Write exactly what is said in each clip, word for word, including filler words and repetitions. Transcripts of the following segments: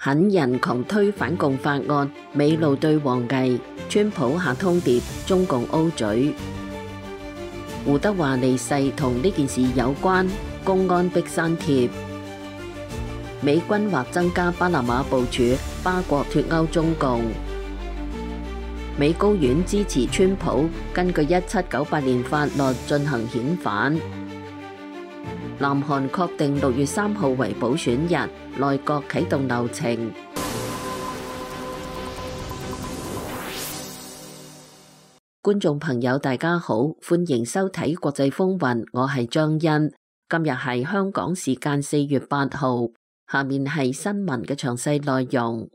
狠人狂推反共法案，美路對王毅，川普下通牒，中共 O 嘴。胡德華離世同呢件事有關，公安逼刪帖。美軍或增加巴拿馬部署，巴國脫歐中共。美高院支持川普根據一七九八年法律進行遣返。南韓確定六月三號為補選日，內閣啟動流程。觀眾朋友大家好，歡迎收睇國際風雲，我係張欣。今日係香港時間四月八號，下面係新聞嘅詳細內容。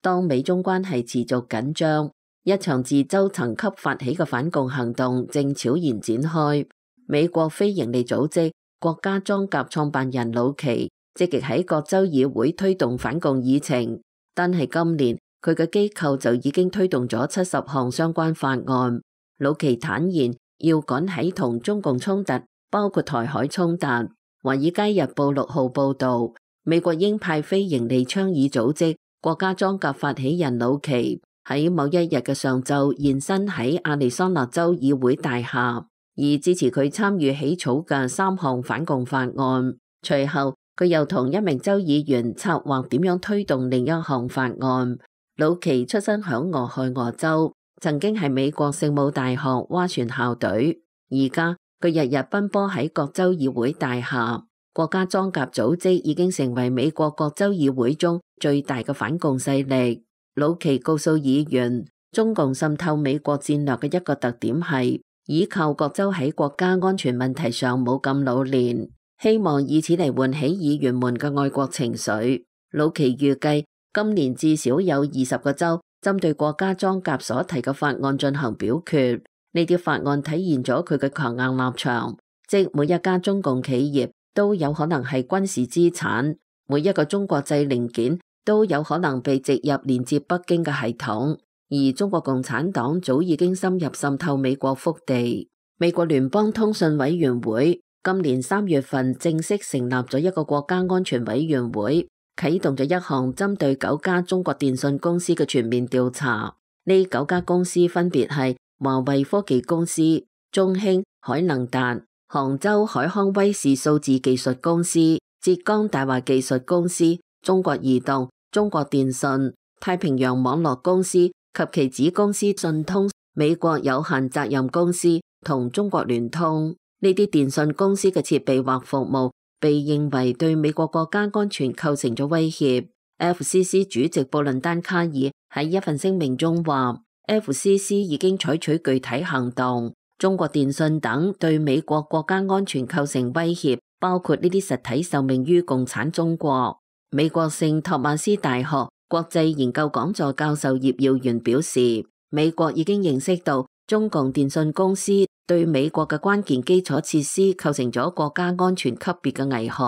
當美中關係持續緊張，一場自州層級發起嘅反共行動正悄然展開。美國非營利組織國家裝甲創辦人魯奇積極喺各州議會推動反共議程，但係今年佢嘅機構就已經推動咗七十項相關法案。魯奇坦言要趕喺同中共衝突，包括台海衝突。華爾街日報六號報道，美國鷹派非營利倡議組織國家裝甲發起人魯奇喺某一日嘅上晝現身喺亞利桑那州議會大廈，而支持佢參與起草嘅三項反共法案。隨後佢又同一名州議員策劃點樣推動另一項法案。魯奇出身響俄亥俄州，曾經係美國聖母大學划船校隊，而家佢日日奔波喺各州議會大廈。國家裝甲組織已經成為美國各州議會中最大嘅反共勢力。魯奇告訴議員，中共滲透美國戰略嘅一個特點係依靠各州喺國家安全問題上冇咁老練，希望以此嚟喚起議員們嘅愛國情緒。魯奇預計今年至少有二十個州針對國家裝甲所提嘅法案進行表決。呢啲法案體現咗佢嘅強硬立場，即每一家中共企業都有可能係軍事資產，每一個中國製零件都有可能被植入連接北京嘅系統，而中國共產黨早已經深入滲透美國腹地。美國聯邦通訊委員會今年三月份正式成立咗一個國家安全委員會，啟動咗一項針對九家中國電信公司嘅全面調查。呢九家公司分別係華為科技公司、中興、海能達、杭州海康威視數字技術公司、浙江大華技術公司、中國移動、中國電信、太平洋網絡公司及其子公司信通、美國有限責任公司同中國聯通。呢啲電信公司嘅設備或服務被認為對美國國家安全構成咗威脅。F C C 主席布倫丹卡爾喺一份聲明中話， F C C 已經採取具體行動，中國電信等對美國國家安全構成威脅，包括呢啲實體受命於共產中國。美國聖托馬斯大學國際研究講座教授葉耀元表示，美國已經認識到中共電信公司對美國嘅關鍵基礎設施構成咗國家安全級別嘅危害，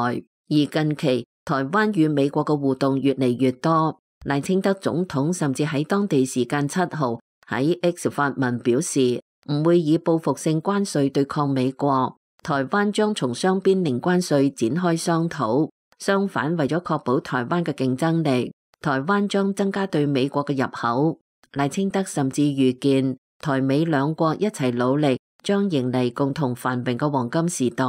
而近期台灣與美國嘅互動越嚟越多。賴清德總統甚至喺當地時間七號喺 X 發文表示，唔會以報復性關稅對抗美國，台灣將從雙邊零關稅展開商討。相反，為咗確保台灣嘅競爭力，台灣將增加對美國嘅入口。賴清德甚至預見台美兩國一齊努力，將迎嚟共同繁榮嘅黃金時代。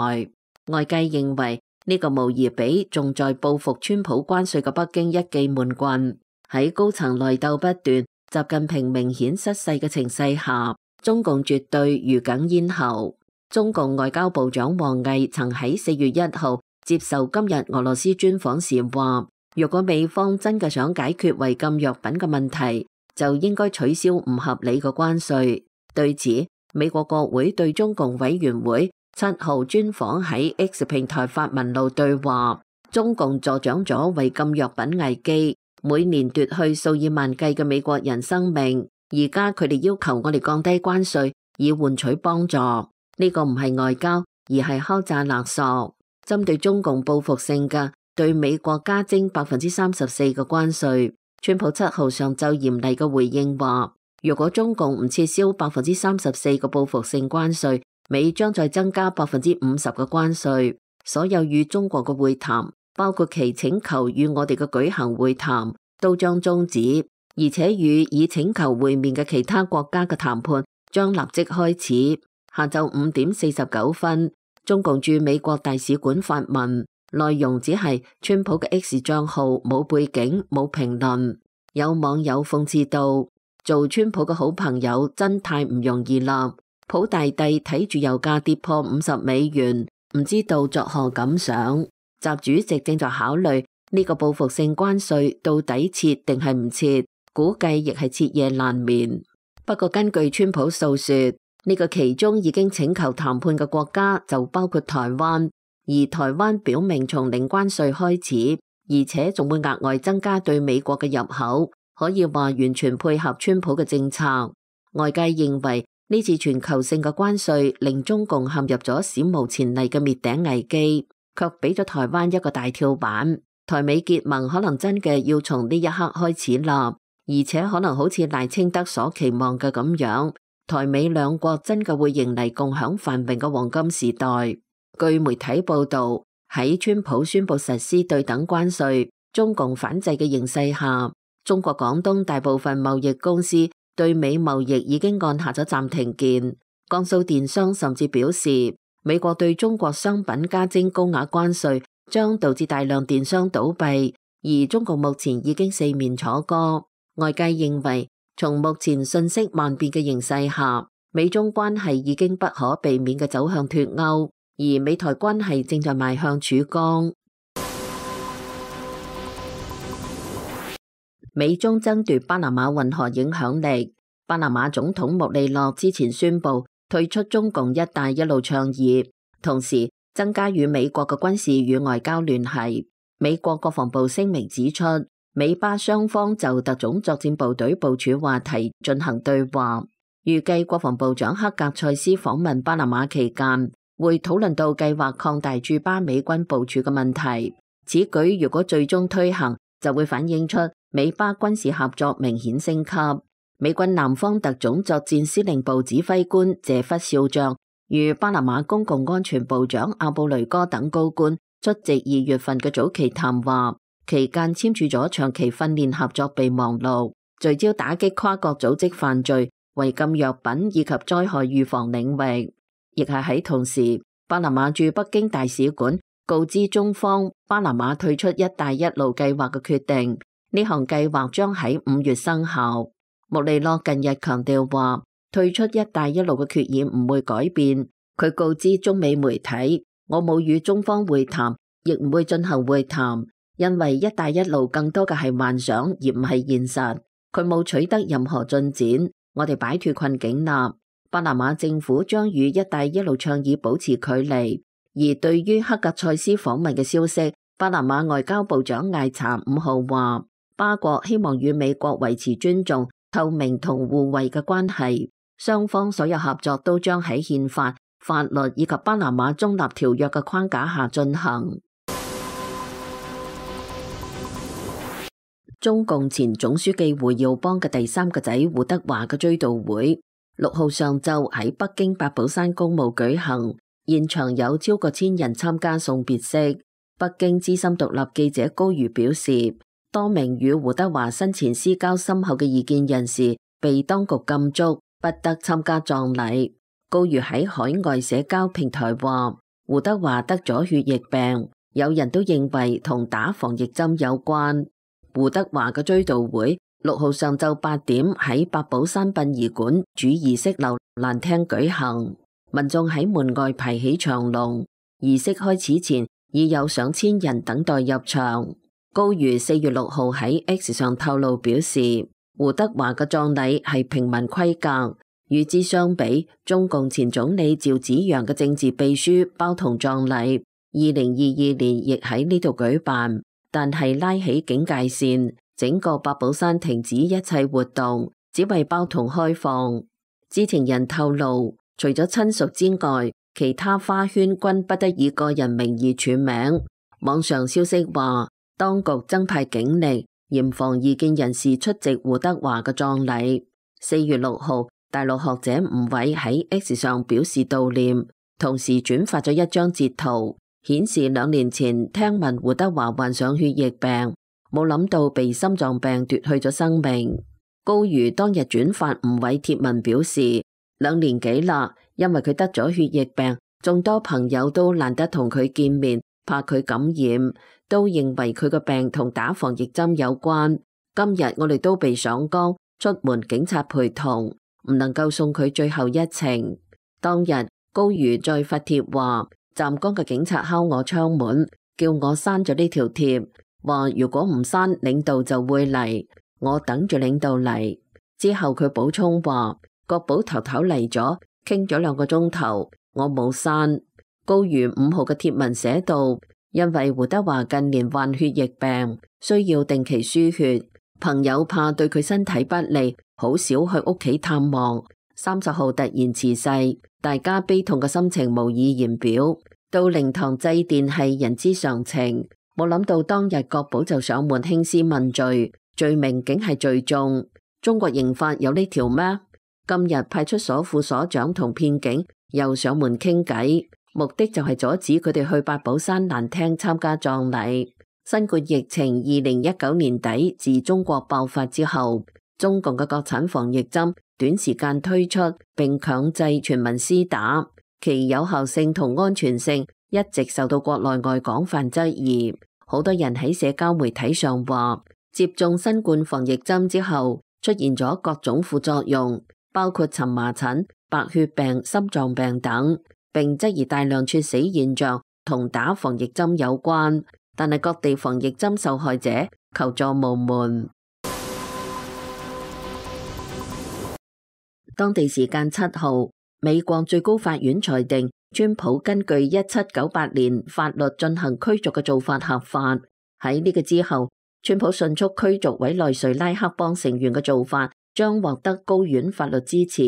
外界認為呢個無疑比仲在報復川普關稅嘅北京一記悶棍。喺高層內鬥不斷、習近平明顯失勢嘅情勢下，中共絕對如鯁咽喉。中共外交部長王毅曾喺四月一號接受今日俄羅斯專訪時話，若果美方真嘅想解決違禁藥品嘅問題，就應該取消唔合理嘅關稅。對此，美國國會對中共委員會七號專訪喺 X 平台發文路對話，中共助長咗違禁藥品危機，每年奪去數以萬計嘅美國人生命。而家佢哋要求我哋降低關稅，以換取幫助。呢個唔係外交，而係敲詐勒索。針對中共報復性嘅對美國加徵百分之三十四嘅關稅，川普七號上晝嚴厲嘅回應話，如果中共唔撤銷百分之三十四嘅報復性關稅，美將再增加百分之五十嘅關稅。所有與中國嘅會談，包括其請求與我哋嘅舉行會談，都將終止，而且與已請求會面嘅其他國家嘅談判將立即開始。下晝五點四十九分，中共駐美國大使館發文，內容只係川普嘅 X 賬號冇背景冇評論。有網友諷刺道：做川普嘅好朋友真太唔容易啦！普大帝睇住油價跌破五十美元，唔知道作何感想。習主席正在考慮呢個報復性關稅到底撤定係唔撤，估計亦係徹夜難眠。不過根據川普訴說，呢個其中已經請求談判嘅國家就包括台灣，而台灣表明從零關稅開始，而且仲會額外增加對美國嘅入口，可以話完全配合川普嘅政策。外界認為呢次全球性嘅關稅令中共陷入咗史無前例嘅滅頂危機，卻俾咗台灣一個大跳板。台美結盟可能真嘅要從呢一刻開始啦，而且可能好似賴清德所期望嘅咁樣，台美兩國真嘅會迎嚟共享繁榮嘅黃金時代。據媒體報道，喺川普宣布實施對等關稅、中共反制嘅形勢下，中國廣東大部分貿易公司對美貿易已經按下咗暫停鍵。江蘇電商甚至表示，美國對中國商品加徵高額關稅將導致大量電商倒閉，而中國目前已經四面楚歌。外界認為，從目前信息萬變嘅形勢下，美中關係已經不可避免嘅走向脫鈎，而美台關係正在邁向曙光。美中爭奪巴拿馬運河影響力。巴拿馬總統穆利諾之前宣布退出中共一帶一路倡議，同時增加與美國嘅軍事與外交聯繫。美國國防部聲明指出，美巴雙方就特種作戰部隊部署話題進行對話，預計國防部長克格塞斯訪問巴拿馬期間，會討論到計劃擴大駐巴美軍部署嘅問題。此舉如果最終推行，就會反映出美巴軍事合作明顯升級。美軍南方特種作戰司令部指揮官謝弗少將與巴拿馬公共安全部長阿布雷哥等高官出席二月份嘅早期談話，期間簽署咗長期訓練合作備忘錄，聚焦打擊跨國組織犯罪、違禁藥品以及災害預防領域。亦係喺同時，巴拿馬駐北京大使館告知中方巴拿馬退出一帶一路計劃嘅決定，呢項計劃將喺五月生效。穆利諾近日強調話，退出一帶一路嘅決議唔會改變。佢告知中美媒體，我冇與中方會談，亦唔會進行會談，因為一帶一路更多嘅係幻想而唔係現實。佢冇取得任何進展，我哋擺脫困境啦。巴拿馬政府將與一帶一路倡議保持距離。而對於克格塞斯訪問嘅消息，巴拿馬外交部長艾查五號話，巴國希望與美國維持尊重、透明同互惠嘅關係，雙方所有合作都將喺憲法、法律以及巴拿馬中立條約嘅框架下進行。中共前總書記胡耀邦嘅第三個仔胡德華嘅追悼會，六號上晝喺北京八寶山公墓舉行，現場有超過千人參加送別式。北京資深獨立記者高瑜表示，多名與胡德華生前私交深厚嘅異見人士被當局禁足，不得參加葬禮。高瑜喺海外社交平台話，胡德華得咗血液病，有人都認為同打防疫針有關。胡德華嘅追悼會六號上晝八點喺八寶山殯儀館主儀式樓蘭廳舉行，民眾喺門外排起長龍。儀式開始前已有上千人等待入場。高瑜四月六號喺 X 上透露表示，胡德華嘅葬禮係平民規格，與之相比，中共前總理趙紫陽嘅政治秘書包同葬禮，二零二二年亦喺呢度舉辦，但係拉起警戒線，整個八寶山停止一切活動，只為包同開放。知情人透露，除咗親屬之外，其他花圈均不得以個人名義署名。網上消息話，當局增派警力，嚴防異見人士出席胡德華嘅葬禮。四月六號，大陸學者吳偉喺 X 上表示悼念，同時轉發咗一張截圖，顯示兩年前聽聞胡德華患上血液病，冇諗到被心臟病奪去咗生命。高瑜當日轉發吳偉貼文表示，兩年幾啦，因為佢得咗血液病，眾多朋友都懶得同佢見面，怕佢感染，都認為佢個病同打防疫針有關。今日我哋都被上崗，出門警察陪同，唔能夠送佢最後一程。當日高瑜再發帖話，站崗嘅警察敲我窗門，叫我刪咗呢條貼，話如果唔刪，領導就會嚟，我等住領導嚟。之後佢補充話，國保頭頭嚟咗，傾咗兩個鐘頭，我冇刪。高瑜五號嘅貼文寫到，因為胡德華近年患血液病，需要定期輸血，朋友怕對佢身體不利，好少去屋企探望。三十號突然辭世，大家悲痛嘅心情無以言表。到靈堂祭奠係人之常情，冇諗到當日國保就上門興師問罪，罪名竟係聚眾。中國刑法有呢條咩？今日派出所副所長同騙警又上門傾偈，目的就係阻止佢哋去八寶山蘭廳參加葬禮。新冠疫情二零一九年底自中國爆發之後，中共嘅國產防疫針短時間推出並強制全民施打，其有效性同安全性一直受到國內外廣泛質疑。好多人喺社交媒體上話，接種新冠防疫針之後出現咗各種副作用，包括蕁麻疹、白血病、心臟病等，並質疑大量猝死現象同打防疫針有關。但係各地防疫針受害者求助無門。當地時間七號，美國最高法院裁定川普根據一七九八年法律進行驅逐嘅做法合法。喺呢個之後，川普迅速驅逐委內瑞拉黑幫成員嘅做法將獲得高院法律支持。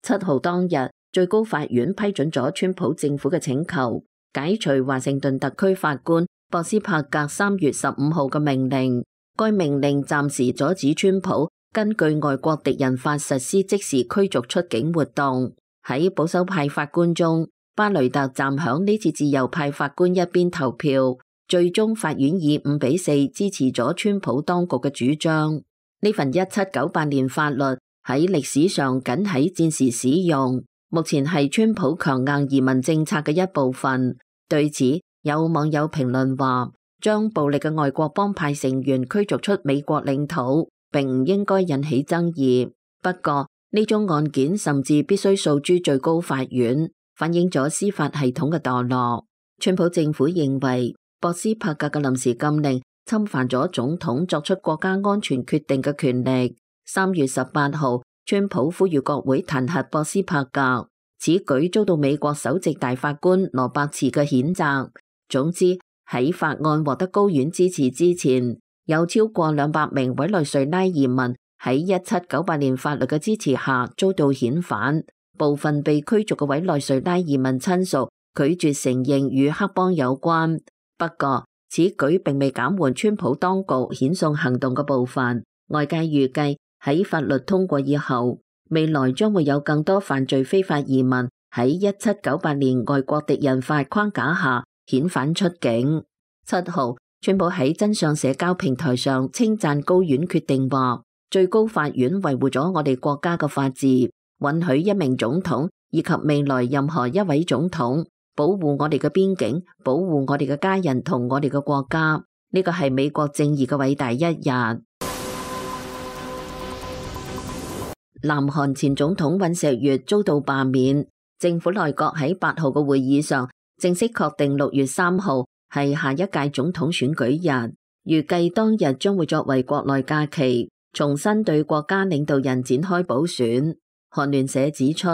七號當日，最高法院批准咗川普政府嘅請求，解除華盛頓特區法官博斯帕格三月十五號嘅命令。該命令暫時阻止川普根據外國敵人法實施即時驅逐出境活動。喺保守派法官中，巴雷特站響呢次自由派法官一邊投票，最終法院以五比四支持咗川普當局嘅主張。呢份一七九八年法律喺歷史上僅喺戰時使用，目前係川普強硬移民政策嘅一部分。對此，有網友評論話，將暴力嘅外國幫派成員驅逐出美國領土，並唔應該引起爭議。不過呢宗案件甚至必須訴諸最高法院，反映咗司法系統嘅墮落。川普政府認為博斯帕格嘅臨時禁令侵犯咗總統作出國家安全決定嘅權力。三月十八號，川普呼籲國會彈劾博斯帕格，此舉遭到美國首席大法官羅伯茨嘅譴責。總之，喺法案獲得高院支持之前，有超過兩百名委內瑞拉移民喺一七九八年法律嘅支持下遭到遣返。部分被驅逐嘅委內瑞拉移民親屬拒絕承認與黑幫有關。不過，此舉並未減緩川普當局遣送行動嘅步伐。外界預計喺法律通過以後，未來將會有更多犯罪非法移民喺一七九八年外國敵人法框架下遣返出境。七號，川普喺真相社交平台上稱讚高院決定話，最高法院維護咗我哋國家嘅法治，允許一名總統以及未來任何一位總統保護我哋嘅邊境，保護我哋嘅家人同我哋嘅國家。呢個係美國正義嘅偉大一日。南韓前總統尹錫悅遭到罷免，政府內閣喺八號嘅會議上正式確定六月三號係下一屆總統選舉日，預計當日將會作為國內假期，重新對國家領導人展開補選。韓聯社指出，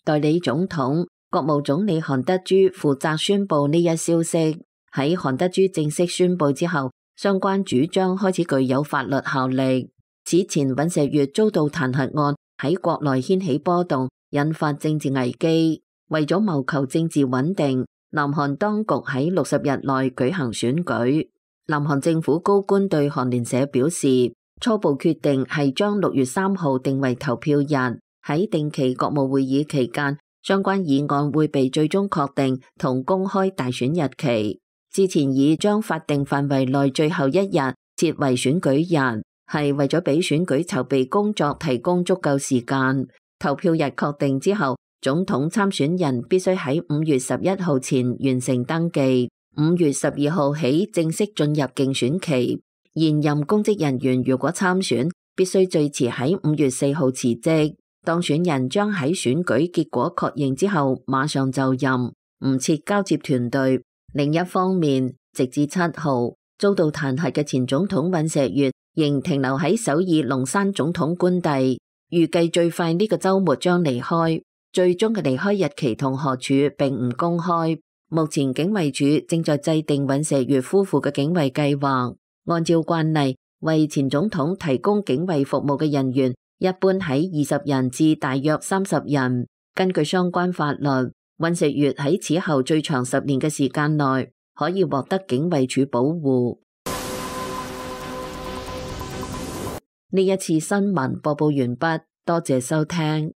代理總統、國務總理韓德珠負責宣布呢一消息。喺韓德珠正式宣布之後，相關主張開始具有法律效力。此前尹錫悅遭到彈劾案喺國內掀起波動，引發政治危機。為咗謀求政治穩定，南韓當局喺六十日內舉行選舉。南韓政府高官對韓聯社表示，初步決定係將六月三號定為投票日。喺定期國務會議期間，相關議案會被最終確定同公開大選日期。之前已將法定範圍內最後一日設為選舉日，係為咗俾選舉籌備工作提供足夠時間。投票日確定之後，總統參選人必須喺五月十一號前完成登記，五月十二號起正式進入競選期。現任公職人員如果參選，必須最遲喺五月四號辭職。當選人將喺選舉結果確認之後馬上就任，唔設交接團隊。另一方面，直至七號遭到彈劾嘅前總統尹錫悅仍停留喺首爾龍山總統官邸，預計最快呢個週末將離開。最終嘅離開日期同何處並唔公開。目前警衛處正在制定尹錫悅夫婦嘅警衛計劃。按照慣例，為前總統提供警衛服務嘅人員一般喺二十人至大約三十人。根據相關法律，尹錫悅喺此後最長十年嘅時間內可以獲得警衛處保護。呢一次新聞播報完畢，多謝收聽。